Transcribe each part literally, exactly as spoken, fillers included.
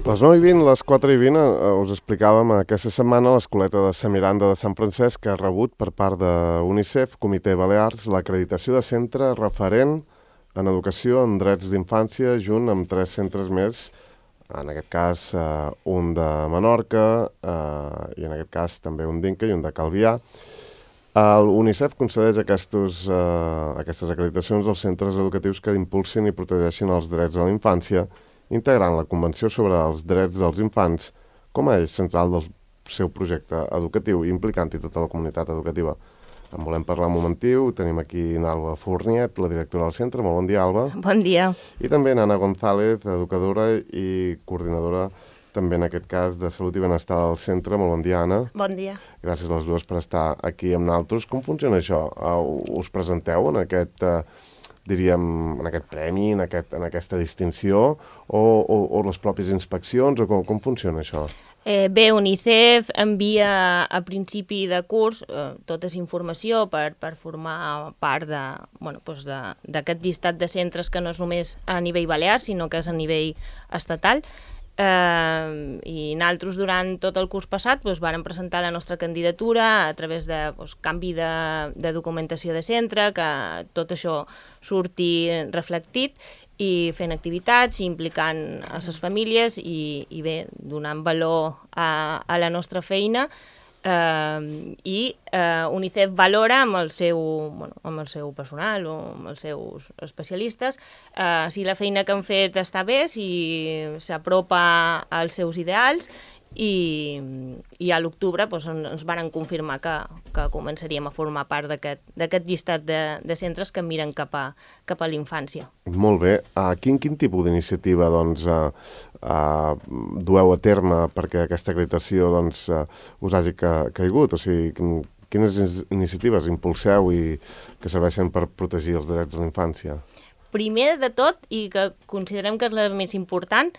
Les nou i vint, les quatre i vint, eh, us explicàvem aquesta setmana l'escoleta de Sant Miranda de Sant Francesc que ha rebut per part de UNICEF, Comitè Balears, l'acreditació de centre referent en educació en drets d'infància, junt amb tres centres més, en aquest cas eh, un de Menorca eh, i en aquest cas també un d'Inca i un de Calvià. El UNICEF concedeix aquestos, eh, aquestes acreditacions als centres educatius que impulsin i protegeixin els drets de la infància, integrant la Convenció sobre els Drets dels Infants com a eix central del seu projecte educatiu, implicant-hi tota la comunitat educativa. En volem parlar un momentiu, tenim aquí Alba Fourniet, la directora del centre. Molt bon dia, Alba. Bon dia. I també Anna González, educadora i coordinadora, també en aquest cas, de Salut i Benestar del centre. Molt bon dia, Anna. Bon dia. Gràcies a les dues per estar aquí amb nosaltres. Com funciona això? Uh, us presenteu en aquest... Uh, diríem, en aquest premi, en, aquest, en aquesta distinció, o, o, o les pròpies inspeccions, o com, com funciona això? Eh, bé, UNICEF envia a principi de curs eh, tota aquesta informació per, per formar part de, bueno, doncs d'aquest llistat de centres que no és només a nivell balear, sinó que és a nivell estatal. Eh, i nosaltres durant tot el curs passat doncs, vàrem presentar la nostra candidatura a través de doncs, canvi de, de documentació de centre, que tot això surti reflectit, i fent activitats, implicant a les famílies i, i bé, donant valor a, a la nostra feina. Uh, i uh, UNICEF valora amb el seu, bueno, amb el seu personal o amb els seus especialistes uh, si la feina que han fet està bé, si s'apropa als seus ideals, i, i a l'octubre doncs, ens van confirmar que, que començaríem a formar part d'aquest llistat de, de centres que miren cap a, cap a l'infància. Molt bé. Uh, quin, quin tipus d'iniciativa doncs, uh, uh, dueu a terme perquè aquesta acreditació doncs, uh, us hagi ca caigut? O sigui, quines iniciatives impulseu i que serveixen per protegir els drets de la infància? Primer de tot, i que considerem que és la més important,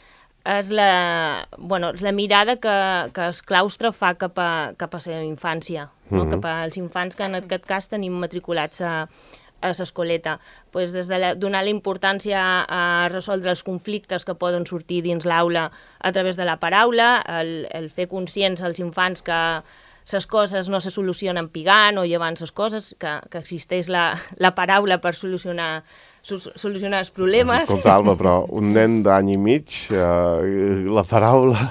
és la, bueno, és la mirada que, que el claustre fa cap a, cap a la infància, no? Mm-hmm. Cap als infants que en aquest cas tenim matriculats a, a l'escoleta. Pues des de la, donar la importància a, a resoldre els conflictes que poden sortir dins l'aula a través de la paraula, el, el fer conscients als infants que les coses no se solucionen pigant o llevant les coses, que, que existeix la, la paraula per solucionar solucionar els problemes. Escolta, Alba, però un nen d'any i mig, eh, la paraula,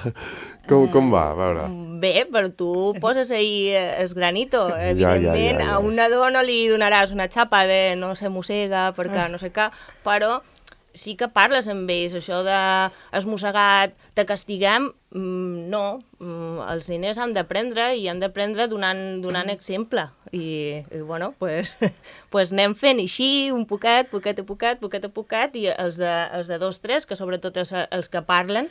com, com va? A veure. Bé, però tu poses ahí el granito. Evidentment, ja, ja, ja, ja. A un nadó no li donaràs una xapa de no se mossega perquè no sé què, però sí que parles amb ells, això de has mossegat, te castiguem, no, els nens han d'aprendre i han d'aprendre donant, donant exemple. I, i bueno, pues, pues anem fent així, un poquet, poquet a poquet, poquet a poquet, i els de, els de dos, tres, que sobretot els, els que parlen,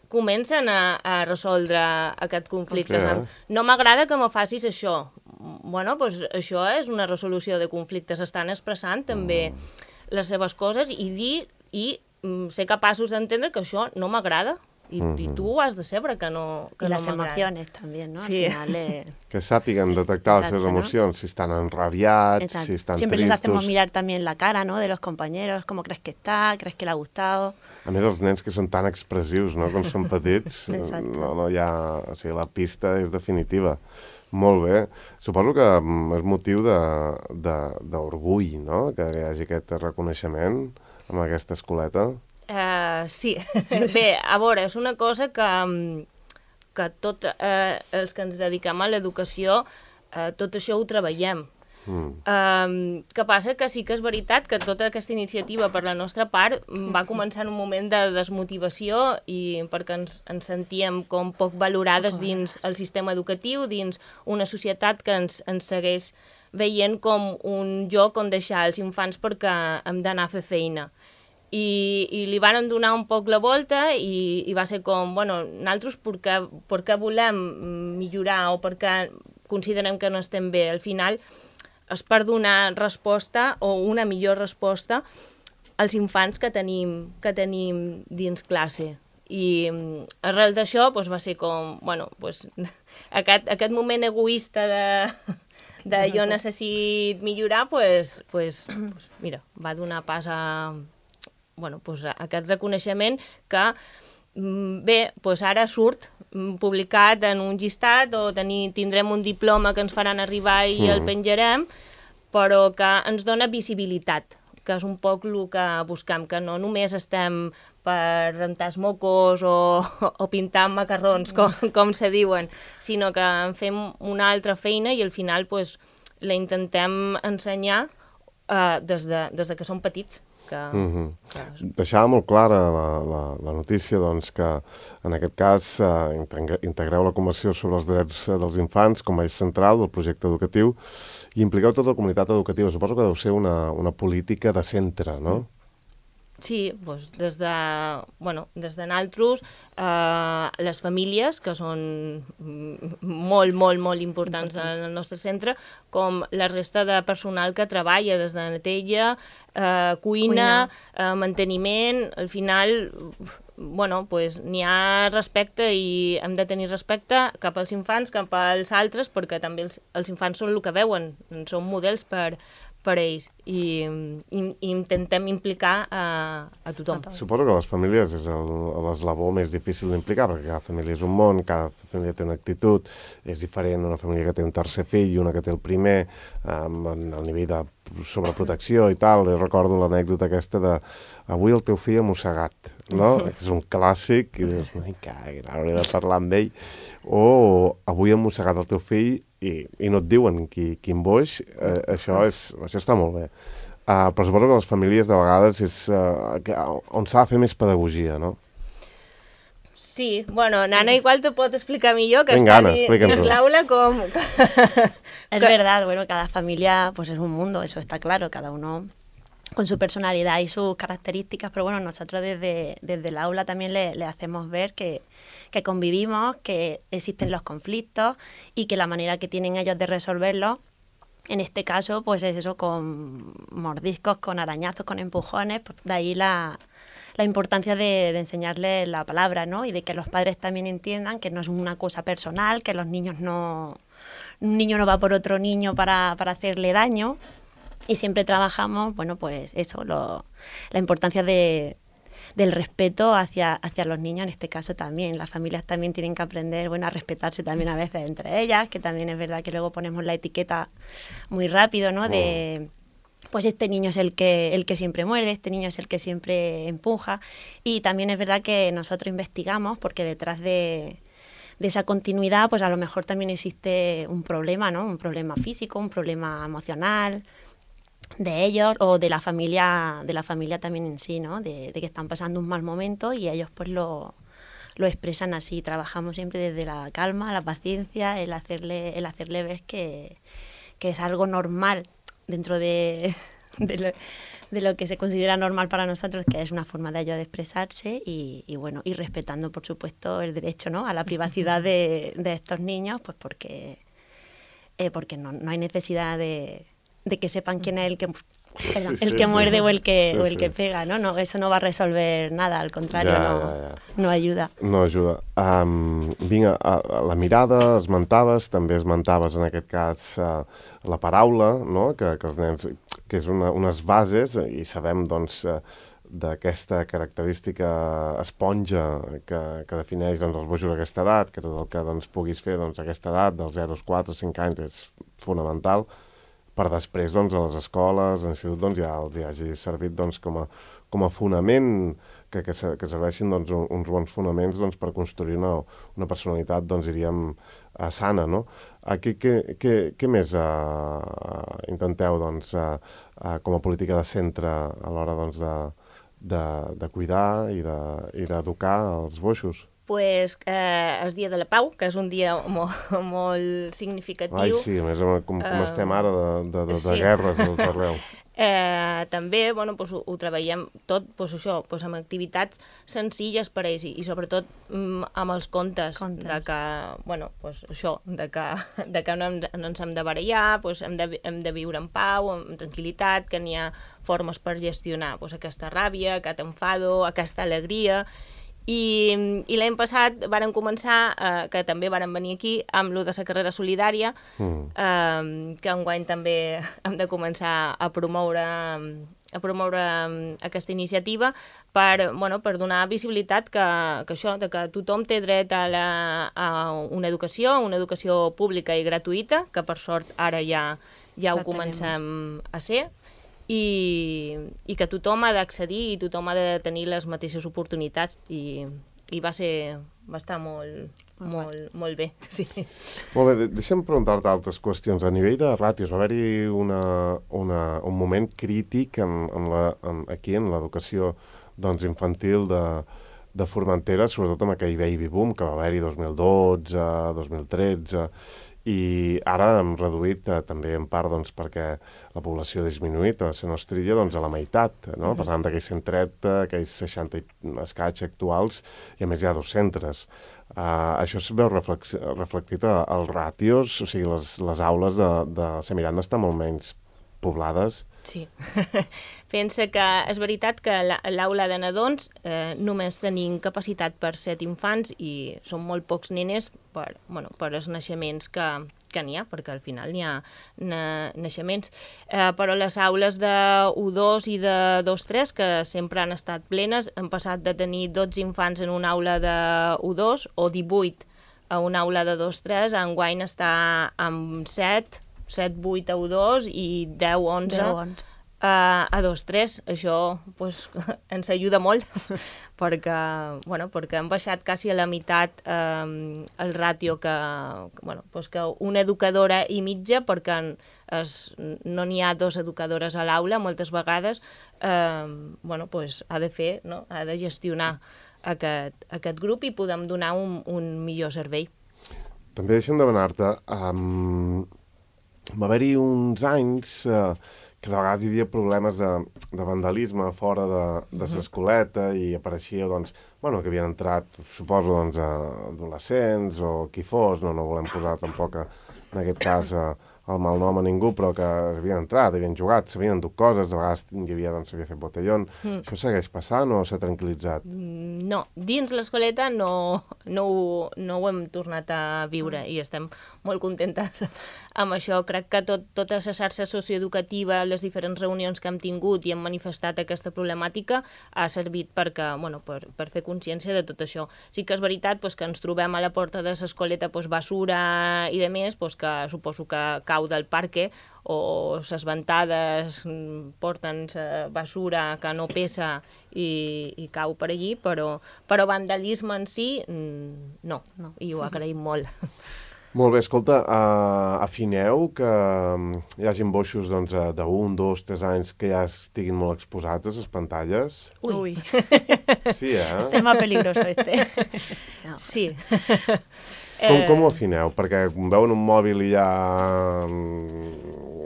comencen a, a resoldre aquest conflicte. Okay. No m'agrada que me facis això. Bueno, pues això és una resolució de conflictes, estan expressant també mm. les seves coses i dir i mm, ser capaços d'entendre que això no m'agrada. I, mm-hmm. i tu ho has de saber que no que I no les emocions també, no? Al sí. final, eh... Que sàpiguen detectar Exacto, les seves emocions, ¿no? Si están enrabiados, Exacto. si están Siempre tristos. Siempre les hacemos mirar también la cara, ¿no? De los compañeros, cómo crees que está, crees que le ha gustado. A més, els nens que són tan expressius, no?, com són petits, no, no hi ha... O sigui, la pista és definitiva. Molt bé. Suposo que és motiu d'orgull, no?, que hi hagi aquest reconeixement amb aquesta escoleta. Uh, sí. Bé, a veure, és una cosa que, que tot eh, els que ens dediquem a l'educació, eh, tot això ho treballem. Mm. Uh, que passa que sí que és veritat que tota aquesta iniciativa per la nostra part va començar en un moment de desmotivació i perquè ens, ens sentíem com poc valorades dins el sistema educatiu, dins una societat que ens, ens segueix veient com un lloc on deixar els infants perquè hem d'anar a fer feina. I, i li van donar un poc la volta i, i va ser com, bueno, nosaltres perquè, perquè volem millorar o perquè considerem que no estem bé. Al final és per donar resposta o una millor resposta als infants que tenim, que tenim dins classe. I arrel d'això doncs, va ser com, bueno, doncs, aquest, aquest moment egoista de... de jo necessit millorar, doncs, doncs, mira, va donar pas a... bueno, doncs, aquest reconeixement que bé, doncs ara surt publicat en un llistat o tenir, tindrem un diploma que ens faran arribar i mm. el penjarem, però que ens dona visibilitat, que és un poc el que buscam, que no només estem per rentar els mocos o, o pintar amb macarrons, com, com se diuen, sinó que en fem una altra feina i al final pues, la intentem ensenyar uh, des, de, des de que som petits. Que, mm-hmm. que... Deixava molt clara la, la, la notícia doncs, que en aquest cas eh, integreu la Convenció sobre els Drets dels Infants com a eix central del projecte educatiu i impliqueu tota la comunitat educativa. Suposo que deu ser una, una política de centre, no? Sí, doncs des de, bueno, des de nosaltres, eh, les famílies, que són molt, molt, molt importants en el nostre centre, com la resta de personal que treballa des de neteja, eh, cuina, cuina. Eh, manteniment, al final, bueno, pues, n'hi ha respecte i hem de tenir respecte cap als infants, cap als altres, perquè també els, els infants són el que veuen, són models per, per ells i, i, i intentem implicar a, a tothom. Suposo que les famílies és l'eslabó més difícil d'implicar, perquè cada família és un món, cada família té una actitud, és diferent una família que té un tercer fill i una que té el primer, amb el nivell de sobreprotecció i tal. Jo recordo l'anècdota aquesta de avui el teu fill ha mossegat, no? És un clàssic, i dius, ai, caga, hauria de parlar amb ell. O avui ha mossegat el teu fill i, i no et diuen qui, quin boix, eh, això, és, això està molt bé. Uh, però suposo que les famílies de vegades és uh, que, on s'ha de fer més pedagogia, no? Sí, bueno, Nana igual te pot explicar millor, que Venga, està Ana, dins l'aula com... Es verdad, bueno, cada familia pues es un mundo, eso está claro, cada uno con su personalidad y sus características, pero bueno, nosotros desde, desde el aula también le, le hacemos ver que, que convivimos, que existen los conflictos y que la manera que tienen ellos de resolverlos, en este caso, pues es eso, con mordiscos, con arañazos, con empujones, pues de ahí la, la importancia de, de enseñarles la palabra, ¿no? Y de que los padres también entiendan que no es una cosa personal, que los niños no... Un niño no va por otro niño para, para hacerle daño. Y siempre trabajamos, bueno, pues eso, lo, la importancia de, del respeto hacia, hacia los niños, en este caso también. Las familias también tienen que aprender, bueno, a respetarse también a veces entre ellas, que también es verdad que luego ponemos la etiqueta muy rápido, ¿no? De, pues este niño es el que, el que siempre muerde, este niño es el que siempre empuja. Y también es verdad que nosotros investigamos, porque detrás de... de esa continuidad, pues a lo mejor también existe un problema, ¿no? Un problema físico, un problema emocional de ellos o de la familia, de la familia también en sí, ¿no? De, de que están pasando un mal momento y ellos pues lo, lo expresan así. Trabajamos siempre desde la calma, la paciencia, el hacerle, el hacerle ver que, que es algo normal dentro de, de lo, de lo que se considera normal para nosotros, que es una forma de ellos de expresarse y, y bueno, y respetando por supuesto el derecho, ¿no? A la privacidad de, de estos niños, pues porque, eh, porque no, no hay necesidad de, de que sepan quién es el que, perdón, sí, el sí, que sí. muerde o el que, sí, o el sí. que pega, ¿no? No, eso no va a resolver nada, al contrario, Ja, no, ja, ja. no ayuda. No ajuda. Um, vinga, a, a la mirada esmentaves, també esmentaves en aquest cas uh, la paraula, no? que, que els nens, que és una, unes bases, i sabem doncs uh, d'aquesta característica esponja que, que defineix doncs, els bojos a aquesta edat, que tot el que doncs, puguis fer doncs, a aquesta edat, dels zero als quatre, cinc anys, és fonamental, per després doncs, a les escoles, a l'institut, doncs, ja els hi hagi servit doncs, com, a, com a fonament, que, que, que serveixin doncs, uns bons fonaments doncs, per construir una, una personalitat, doncs, diríem, uh, sana, no? Uh, què, què, què, què més uh, intenteu doncs, uh, uh, com a política de centre a l'hora doncs, de, de, de cuidar i d'educar de, els boixos? Pues, eh, el Dia de la Pau, que és un dia molt, molt significatiu. Ai, sí, a més, com, com uh, estem ara de, de, de, de sí. guerres tot arreu. Eh, també bueno, pues, ho, ho treballem tot pues, això, pues, amb activitats senzilles per a ells i, i sobretot mm, amb els contes, contes. De que, bueno, pues, això, de que, de que no, hem de, no ens hem de barallar, pues, hem, de, hem de viure en pau, amb tranquil·litat, que n'hi ha formes per gestionar pues, aquesta ràbia, aquest enfado, aquesta alegria. I, i l'any passat varen començar, eh, que també varen venir aquí, amb lo de la carrera solidària, mm. eh, que enguany també hem de començar a promoure a promoure aquesta iniciativa per, bueno, per donar visibilitat que, que això, de que tothom té dret a, la, a una educació, una educació pública i gratuïta, que per sort ara ja, ja ho comencem a ser, i, i que tothom ha d'accedir i tothom ha de tenir les mateixes oportunitats i, i va ser, va estar molt, molt, molt bé. Sí. Molt bé, deixa'm preguntar-te altres qüestions. A nivell de ràtios, va haver-hi una, una, un moment crític en, en la, en, aquí en l'educació doncs, infantil de, de Formentera, sobretot amb aquell baby boom que va haver-hi dos mil dotze, dos mil tretze, i ara hem reduït eh, també en part doncs, perquè la població ha disminuït a la nostra illa doncs, a la meitat, no? Uh-huh. Passant d'aquells cent trenta, aquells seixanta escaig actuals, i a més hi ha dos centres. Uh, això es veu reflex reflectit als ràtios, o sigui, les, les aules de, de Semiranda estan molt menys poblades. Sí. Pensa que és veritat que l'aula de nadons eh, només tenim capacitat per set infants i són molt pocs nenes per, bueno, per els naixements que, que n'hi ha, perquè al final n'hi ha na, naixements. Eh, però les aules de u dos i de dos tres, que sempre han estat plenes, han passat de tenir dotze infants en una aula de u dos o divuit a una aula de dos tres, enguany està amb set, set vuit a u dos i deu onze a, a dos tres. Això pues, ens ajuda molt perquè, bueno, perquè hem baixat quasi a la meitat eh, el ràtio que, bueno, pues que una educadora i mitja, perquè es, no n'hi ha dos educadores a l'aula moltes vegades, eh, bueno, pues ha de fer, no? Ha de gestionar aquest, aquest grup i podem donar un, un millor servei. També deixem demanar-te... Um... Va haver-hi uns anys eh, que de vegades hi havia problemes de, de vandalisme fora de, de l'escoleta i apareixia, doncs, bueno, que havien entrat, suposo, doncs, adolescents o qui fos, no, no volem posar tampoc, a, en aquest cas, a, el mal nom a ningú, però que havien entrat, havien jugat, s'havien endut coses, de vegades hi havia, doncs, s'havia fet botellón. Mm. Això segueix passant o s'ha tranquil·litzat? No, dins l'escoleta no, no, ho, no ho hem tornat a viure i estem molt contentes amb això. Crec que tot, tota la xarxa socioeducativa, les diferents reunions que hem tingut i hem manifestat aquesta problemàtica ha servit perquè, bueno, per, per fer consciència de tot això. Sí que és veritat pues, que ens trobem a la porta de l'escoleta pues, basura i de més, pues, que suposo que cau del parque o les ventades porten basura que no pesa i, i cau per allí, però, però vandalisme en si no, no. I ho agraïm molt. Molt bé, escolta, uh, afineu que hi hagi boixos doncs, d'un, dos, tres anys que ja estiguin molt exposats a les pantalles? Ui! Sí, eh? Tema peligroso este. No. Sí. Com, com ho afineu? Perquè veuen un mòbil i ja...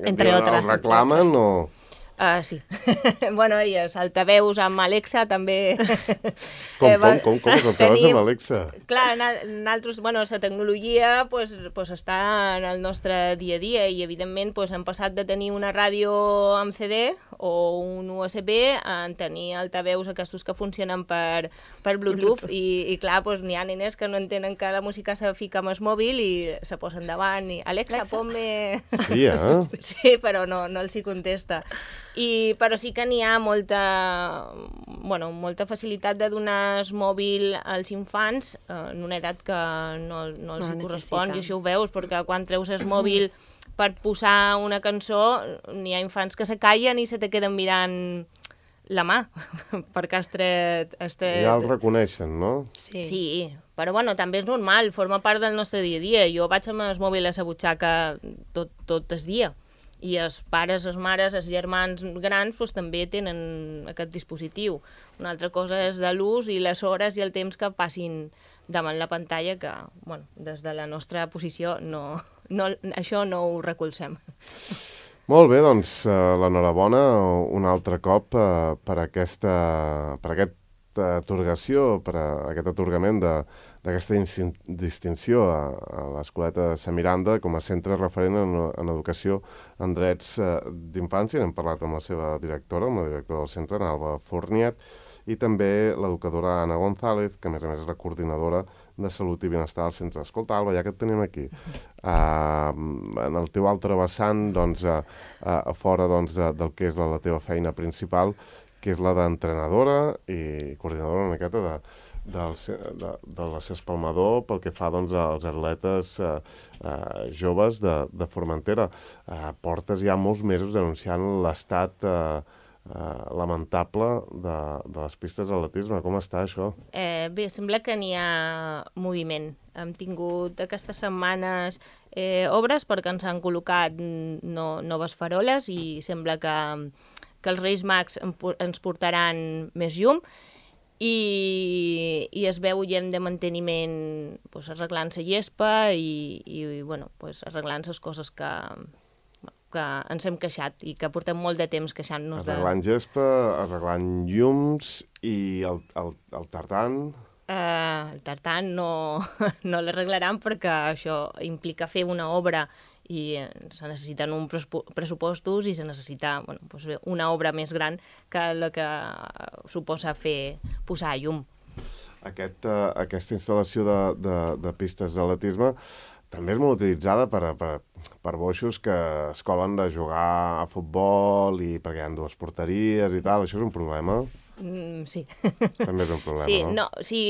Entre altres. El reclamen o...? Uh, sí. Bueno, i els altaveus amb Alexa també... Com, eh, com, com, com els altaveus amb Alexa? Clar, nosaltres, bueno, la tecnologia pues, pues, està en el nostre dia a dia i, evidentment, pues, hem passat de tenir una ràdio amb C D o un U S B a tenir altaveus aquests que funcionen per, per Bluetooth, Bluetooth. I, i clar, pues, n'hi ha nenes que no entenen que la música se fica amb el mòbil i se posen davant i Alexa, Alexa. ponme... Sí, eh? Sí, però no, no els hi contesta. I, però sí que n'hi ha molta, bueno, molta facilitat de donar el mòbil als infants eh, en una edat que no, no els no correspon, i això ho veus, perquè quan treus el mòbil per posar una cançó n'hi ha infants que se callen i se te queden mirant la mà, perquè has tret... Has tret... Ja el reconeixen, no? Sí. Sí, però bueno, també és normal, forma part del nostre dia a dia. Jo vaig amb el mòbil a la butxaca tot, tot el dia. I els pares, les mares, els germans grans doncs, també tenen aquest dispositiu. Una altra cosa és de l'ús i les hores i el temps que passin davant la pantalla, que bueno, des de la nostra posició no, no, això no ho recolzem. Molt bé, doncs uh, l'enhorabona un altre cop uh, per, aquesta, per aquesta atorgació, per a, aquest atorgament de d'aquesta distinció a, a l'Escoleta de Sant Miranda com a centre referent en, en educació en drets eh, d'infància. N'hem parlat amb la seva directora, amb la directora del centre, Alba Forniat, i també l'educadora Anna González, que a més a més és la coordinadora de Salut i Benestar al centre. Escolta, Alba, ja que et tenim aquí, uh, en el teu altre vessant, doncs, uh, uh, a fora doncs, de, del que és la, la teva feina principal, que és la d'entrenadora i coordinadora una miqueta de, del, de, de la Espalmador pel que fa doncs, als atletes uh, uh, joves de, de Formentera. Uh, portes ja molts mesos denunciant l'estat uh, Uh, lamentable de, de les pistes d'atletisme. Com està això? Eh, bé, sembla que n'hi ha moviment. Hem tingut aquestes setmanes eh, obres perquè ens han col·locat no, noves faroles i sembla que, que els Reis Mags ens portaran més llum i, i es veu gent de manteniment pues, arreglant la gespa i, i bueno, pues, arreglant les coses que... que ens hem queixat i que portem molt de temps queixant-nos de... Arreglant gespa, arreglant llums i el, el, el tartan... Uh, el tartan no, no l'arreglaran perquè això implica fer una obra i se necessiten uns pressupostos i se necessita bueno, pues una obra més gran que la que suposa fer posar llum. Aquest, uh, aquesta instal·lació de, de, de pistes d'atletisme també és molt utilitzada per, per, per boixos que es colen de jugar a futbol i perquè hi ha dues porteries i tal. Això és un problema? Mm, sí. També és un problema, sí, no? no? Sí,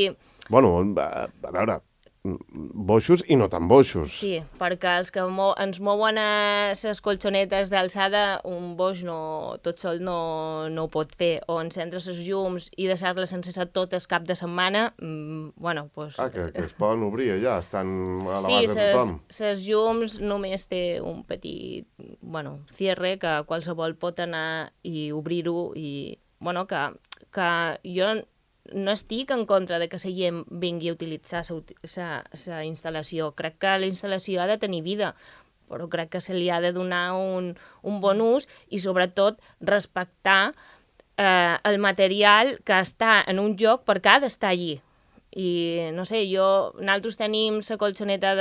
bueno, a, a veure, boixos i no tan boixos. Sí, perquè els que mo ens mouen a les colxonetes d'alçada, un boix no, tot sol no, no ho pot fer. O encendre les llums i deixar-les sense ser totes cap de setmana, mmm, bueno, doncs... Ah, que, que es poden obrir allà, estan a sí, l'abast de tothom. Sí, les llums només té un petit, bueno, cierre que qualsevol pot anar i obrir-ho i, bueno, que, que jo... no estic en contra de que la gent vingui a utilitzar la instal·lació. Crec que la instal·lació ha de tenir vida, però crec que se li ha de donar un, un bon ús i, sobretot, respectar eh, el material que està en un lloc perquè ha d'estar allí. I, no sé, jo, nosaltres tenim la colxoneta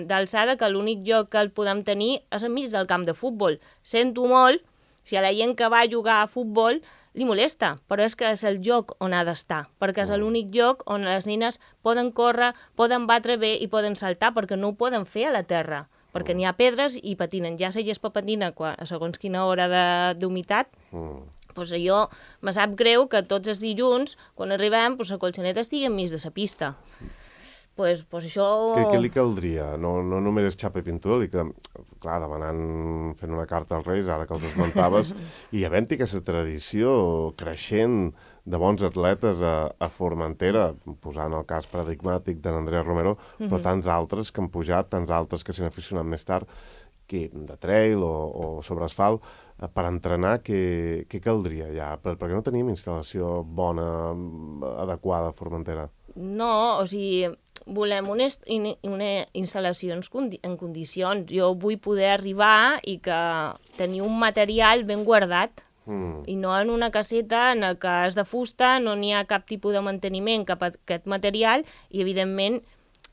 d'alçada que l'únic lloc que el podem tenir és enmig del camp de futbol. Sento molt si a la gent que va a jugar a futbol li molesta, però és que és el lloc on ha d'estar, perquè és l'únic lloc on les nines poden córrer, poden batre bé i poden saltar, perquè no ho poden fer a la terra, perquè n'hi ha pedres i patinen. Ja la gespa patina a segons quina hora d'humitat, mm. pues allò me sap greu que tots els dilluns, quan arribem, pues la colxoneta estigui enmig de la pista. Pues, pues això... Què, què li caldria? No, no només és xapa i pintura, li queda... clar, demanant, fent una carta als Reis, ara que els esmentaves, i havent-hi aquesta tradició creixent de bons atletes a, a Formentera, posant el cas paradigmàtic de n'Andrea Romero, mm-hmm. però tants altres que han pujat, tants altres que s'han aficionat més tard, que de trail o, o sobre asfalt, per entrenar, què, què caldria ja? Per, perquè no tenim instal·lació bona, adequada a Formentera. No, o sigui, volem una, una instal·lació en condicions. Jo vull poder arribar i que tenir un material ben guardat mm. i no en una caseta en què és de fusta, no n'hi ha cap tipus de manteniment cap a aquest material i, evidentment,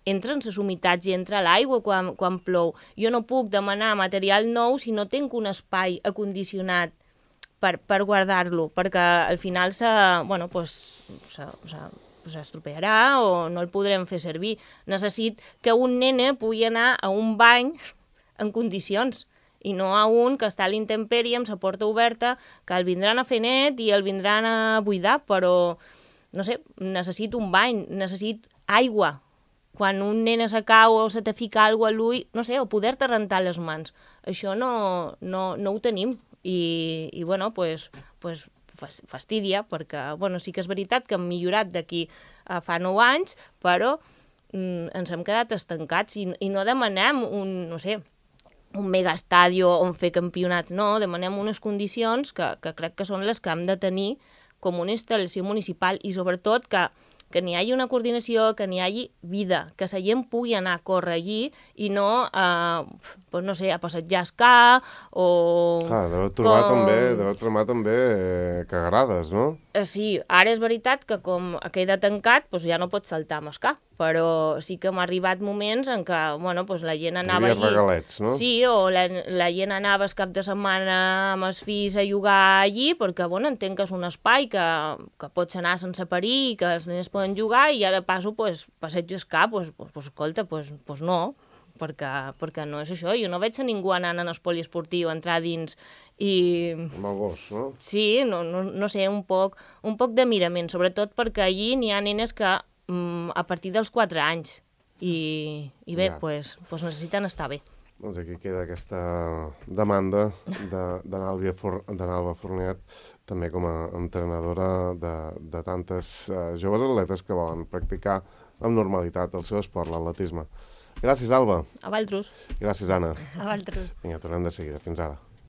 entren les humitats i entra l'aigua quan, quan plou. Jo no puc demanar material nou si no tinc un espai acondicionat per, per guardar-lo, perquè al final se, bueno, pues, se, se, s'estropearà o no el podrem fer servir. Necessit que un nene pugui anar a un bany en condicions i no a un que està a l'intempèrie amb la porta oberta, que el vindran a fer net i el vindran a buidar, però, no sé, necessito un bany, necessito aigua. Quan un nene se cau o se te fica alguna cosa a l'ull, no sé, o poder-te rentar les mans. Això no, no, no ho tenim. I, i bueno, pues, pues, fastidia, perquè, bueno, sí que és veritat que hem millorat d'aquí a fa nou anys, però mm, ens hem quedat estancats i, i no demanem un, no sé, un megaestadio on fer campionats, no, demanem unes condicions que, que crec que són les que hem de tenir com una instal·lació municipal i sobretot que que n'hi hagi una coordinació, que n'hi hagi vida, que la gent pugui anar a córrer allí i no, eh, pues no sé, a passejar escà o... Ah, deu trobar com... també, deu trobar també eh, cagarades, no? Eh, sí, ara és veritat que com queda tancat, pues ja no pots saltar amb escà, però sí que m'ha arribat moments en què, bueno, pues la gent anava allí... Hi havia regalets, no? Sí, o la, la gent anava el cap de setmana amb els fills a jugar allí, perquè, bueno, entenc que és un espai que, que pots anar sense perill, que els nens poden jugar i ja de passo, pues, passeig el cap, pues, pues, pues, escolta, pues, pues no, perquè, perquè no és això. Jo no veig a ningú anant en el poliesportiu, entrar dins i... Amb el gos, no? Sí, no, no, no sé, un poc, un poc de mirament, sobretot perquè allí n'hi ha nenes que mm, a partir dels quatre anys i, i bé, ja. pues, pues necessiten estar bé. Doncs aquí queda aquesta demanda de, de Nàlvia For, de Nalva Fornet, també com a entrenadora de, de tantes uh, joves atletes que volen practicar amb normalitat el seu esport, l'atletisme. Gràcies, Alba. A Valtros. Gràcies, Anna. A Valtros. Vinga, tornem de seguida. Fins ara.